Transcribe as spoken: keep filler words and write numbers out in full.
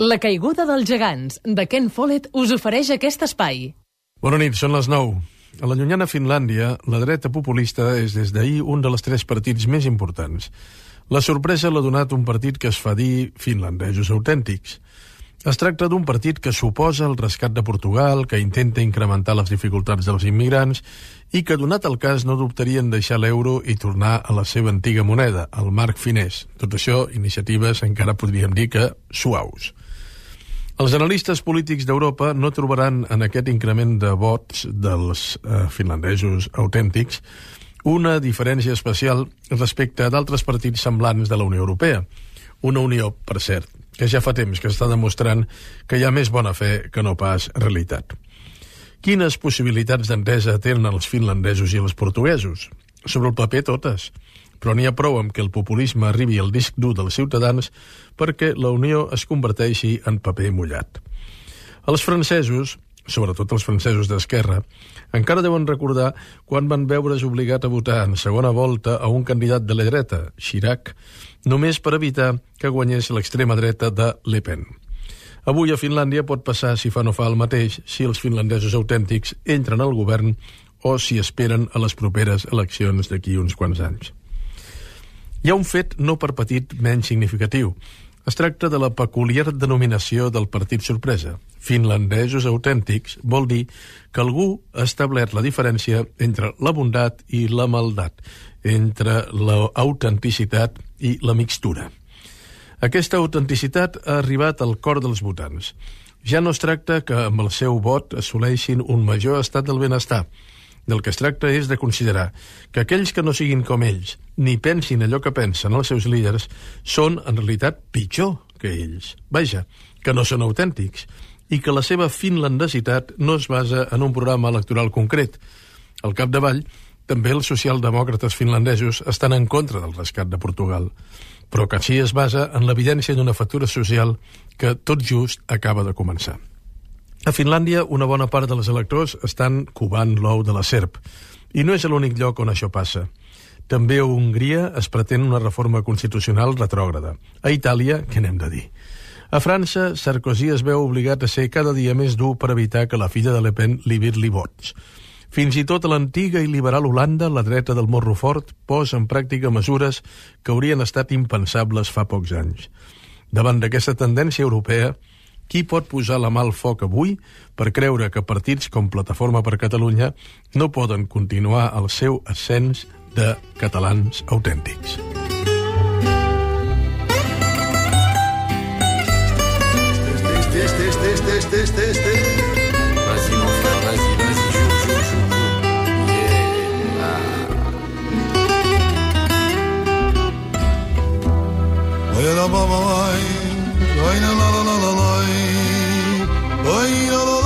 La caiguda dels gegants, de Ken Follett, us ofereix aquest espai. Bona nit, són les nou. A la llunyana Finlàndia, la dreta populista és des d'ahir un dels tres partits més importants. La sorpresa l'ha donat un partit que es fa dir finlandesos autèntics. Es tracta d'un partit que suposa el rescat de Portugal, que intenta incrementar les dificultats dels immigrants i que, donat el cas, no dubtarien deixar l'euro i tornar a la seva antiga moneda, el marc finès. Tot això, iniciatives encara podríem dir que suaus. Els analistes polítics d'Europa no trobaran en aquest increment de vots dels eh, finlandesos autèntics una diferència especial respecte a d'altres partits semblants de la Unió Europea. Una unió, per cert, que ja fa temps que està demostrant que hi ha més bona fe que no pas realitat. Quines possibilitats d'entesa tenen els finlandesos i els portuguesos? Sobre el paper, totes. Però n'hi ha prou amb que el populisme arribi al disc dur dels ciutadans perquè la Unió es converteixi en paper mullat. Els francesos, sobretot els francesos d'esquerra, encara deuen recordar quan van veure's obligat a votar en segona volta a un candidat de la dreta, Chirac, només per evitar que guanyés l'extrema dreta de Le Pen. Avui a Finlàndia pot passar, si fa no fa el mateix, si els finlandesos autèntics entren al govern o si esperen a les properes eleccions d'aquí uns quants anys. Hi ha un fet no per petit menys significatiu. Es tracta de la peculiar denominació del partit sorpresa. Finlandesos autèntics vol dir que algú ha establert la diferència entre la bondat i la maldat, entre l'autenticitat i la mixtura. Aquesta autenticitat ha arribat al cor dels votants. Ja no es tracta que amb el seu vot assoleixin un major estat del benestar. Del que es tracta és de considerar que aquells que no siguin com ells, ni pensin allò que pensen els seus líders, són en realitat pitjor que ells. Vaja, que no són autèntics, i que la seva finlandesitat no es basa en un programa electoral concret. Al capdavall, també els socialdemòcrates finlandesos estan en contra del rescat de Portugal, però que sí es basa en l'evidència d'una factura social que tot just acaba de començar. A Finlàndia, una bona part dels electors estan covant l'ou de la serp. I no és l'únic lloc on això passa. També a Hongria es pretén una reforma constitucional retrògrada. A Itàlia, què n'hem de dir? A França, Sarkozy es veu obligat a ser cada dia més dur per evitar que la filla de Le Pen li virli vots. Fins i tot a l'antiga i liberal Holanda, la dreta del morro fort posa en pràctica mesures que haurien estat impensables fa pocs anys. Davant d'aquesta tendència europea, qui pot posar la mà al foc avui per creure que partits com Plataforma per Catalunya no poden continuar el seu ascens de catalans autèntics? Este, este, este, este, este, este. Vas-y, mon frère, vas-y, vas-y, joue, joue, joue. Yeah. Oye, la, la, la, la, la, la, la, la, la, la, la, la, la, la, la,